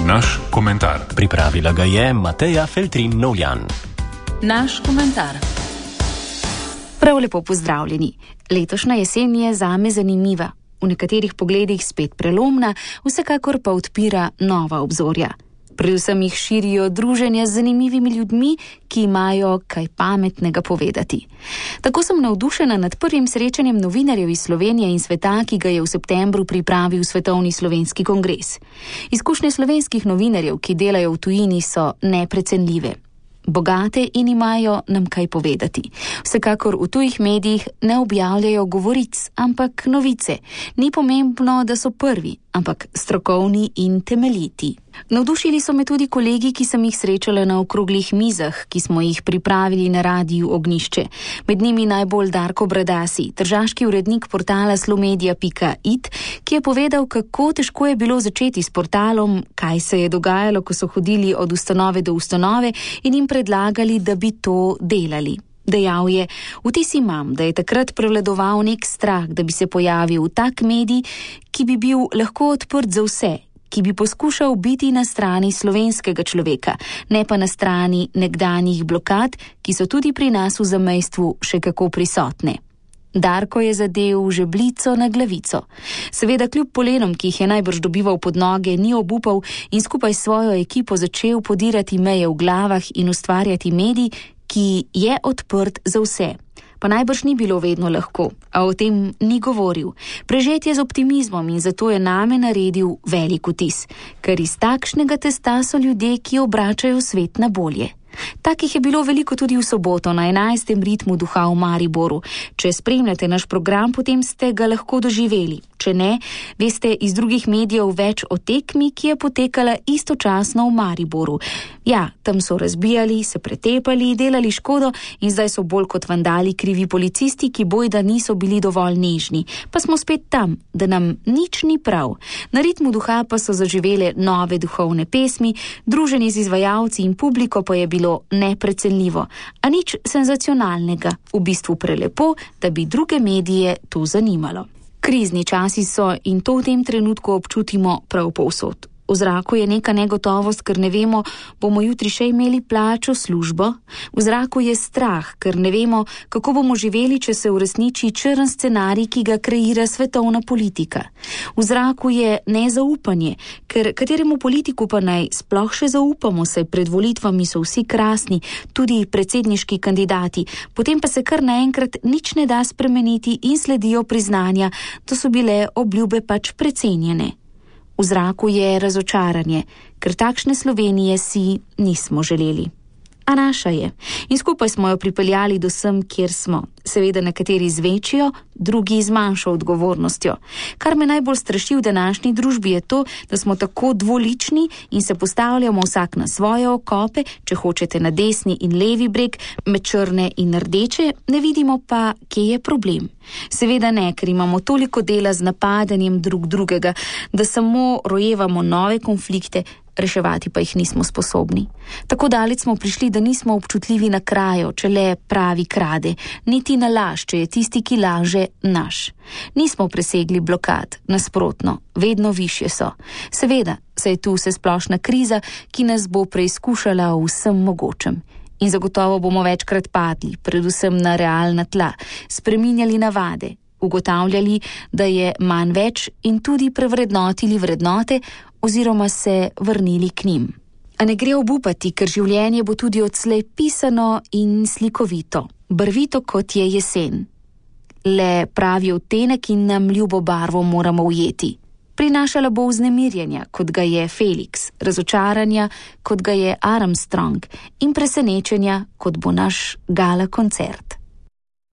Naš komentar. Pripravila ga je Mateja Feltrin Novjan. Naš komentar. Prav lepo pozdravljeni. Letošnja jesen je zame zanimiva, v nekaterih pogledih spet prelomna, vsekakor pa odpira nova obzorja. Predvsem jih širijo druženja z zanimivimi ljudmi, ki imajo kaj pametnega povedati. Tako sem navdušena nad prvim srečanjem novinarjev iz Slovenije in sveta, ki ga je v septembru pripravil Svetovni slovenski kongres. Izkušnje slovenskih novinarjev, ki delajo v tujini, so neprecenljive. Bogate in imajo nam kaj povedati. Vsekakor v tujih medijih ne objavljajo govoric, ampak novice. Ni pomembno, da so prvi, ampak strokovni in temeljiti. Navdušili so me tudi kolegi, ki sem jih srečala na okroglih mizah, ki smo jih pripravili na Radiu Ognjišče. Med njimi najbolj Darko Bradasi, tržaški urednik portala slomedia.it, ki je povedal, kako težko je bilo začeti s portalom, kaj se je dogajalo, ko so hodili od ustanove do ustanove in jim predlagali, da bi to delali. Dejal je, vtis imam, da je takrat prevladoval nek strah, da bi se pojavil tak medij, ki bi bil lahko odprt za vse, ki bi poskušal biti na strani slovenskega človeka, ne pa na strani nekdanjih blokad, ki so tudi pri nas v zamejstvu še kako prisotne. Darko je zadel žebljico na glavico. Seveda kljub polenom, ki jih je najbrž dobival pod noge, ni obupal in skupaj s svojo ekipo začel podirati meje v glavah in ustvarjati medij, ki je odprt za vse. Pa najbrž ni bilo vedno lahko, a o tem ni govoril. Prežet je z optimizmom in zato je name naredil velik vtis, ker iz takšnega testa so ljudje, ki obračajo svet na bolje. Takih je bilo veliko tudi v soboto na 11. ritmu duha v Mariboru. Če spremljate naš program, potem ste ga lahko doživeli. Če ne, veste iz drugih medijev več o tekmi, ki je potekala istočasno v Mariboru. Ja, tam so razbijali, se pretepali, delali škodo in zdaj so bolj kot vandali krivi policisti, ki bojda niso bili dovolj nežni. Pa smo spet tam, da nam nič ni prav. Na ritmu duha pa so zaživele nove duhovne pesmi, druženje z izvajalci in publiko pa je bilo neprecenljivo, a nič senzacionalnega, v bistvu prelepo, da bi druge medije to zanimalo. Krizni časi so in to v tem trenutku občutimo prav povsod. V zraku je neka negotovost, ker ne vemo, bomo jutri še imeli plačo, službo. V zraku je strah, ker ne vemo, kako bomo živeli, če se uresniči črn scenarij, ki ga kreira svetovna politika. V zraku je nezaupanje, ker kateremu politiku pa naj sploh še zaupamo, saj pred volitvami so vsi krasni, tudi predsedniški kandidati, potem pa se kar naenkrat nič ne da spremeniti in sledijo priznanja, da so bile obljube pač precenjene. V zraku je razočaranje, ker takšne Slovenije si nismo želeli. A naša je. In skupaj smo jo pripeljali do sem, kjer smo. Seveda nekateri z večjo, drugi z manjšo odgovornostjo. Kar me najbolj straši v današnji družbi je to, da smo tako dvolični in se postavljamo vsak na svoje okope, če hočete na desni in levi breg, med črne in rdeče, ne vidimo pa, kje je problem. Seveda ne, ker imamo toliko dela z napadanjem drug drugega, da samo rojevamo nove konflikte, reševati pa jih nismo sposobni. Tako daleč smo prišli, da nismo občutljivi na krajo, če le pravi krade, niti na laž, če je tisti, ki laže, naš. Nismo presegli blokad, nasprotno, vedno višje so. Seveda, saj tu vse splošna kriza, ki nas bo preizkušala v vsem mogočem. In zagotovo bomo večkrat padli, predvsem na realna tla, spreminjali navade, ugotavljali, da je manj več in tudi prevrednotili vrednote oziroma se vrnili k njim. A ne gre obupati, ker življenje bo tudi odslej pisano in slikovito, barvito kot je jesen. Le pravi odtenek in nam ljubo barvo moramo ujeti. Prinašala bo vznemirjenja, kot ga je Felix, razočaranja, kot ga je Armstrong in presenečenja, kot bo naš gala koncert.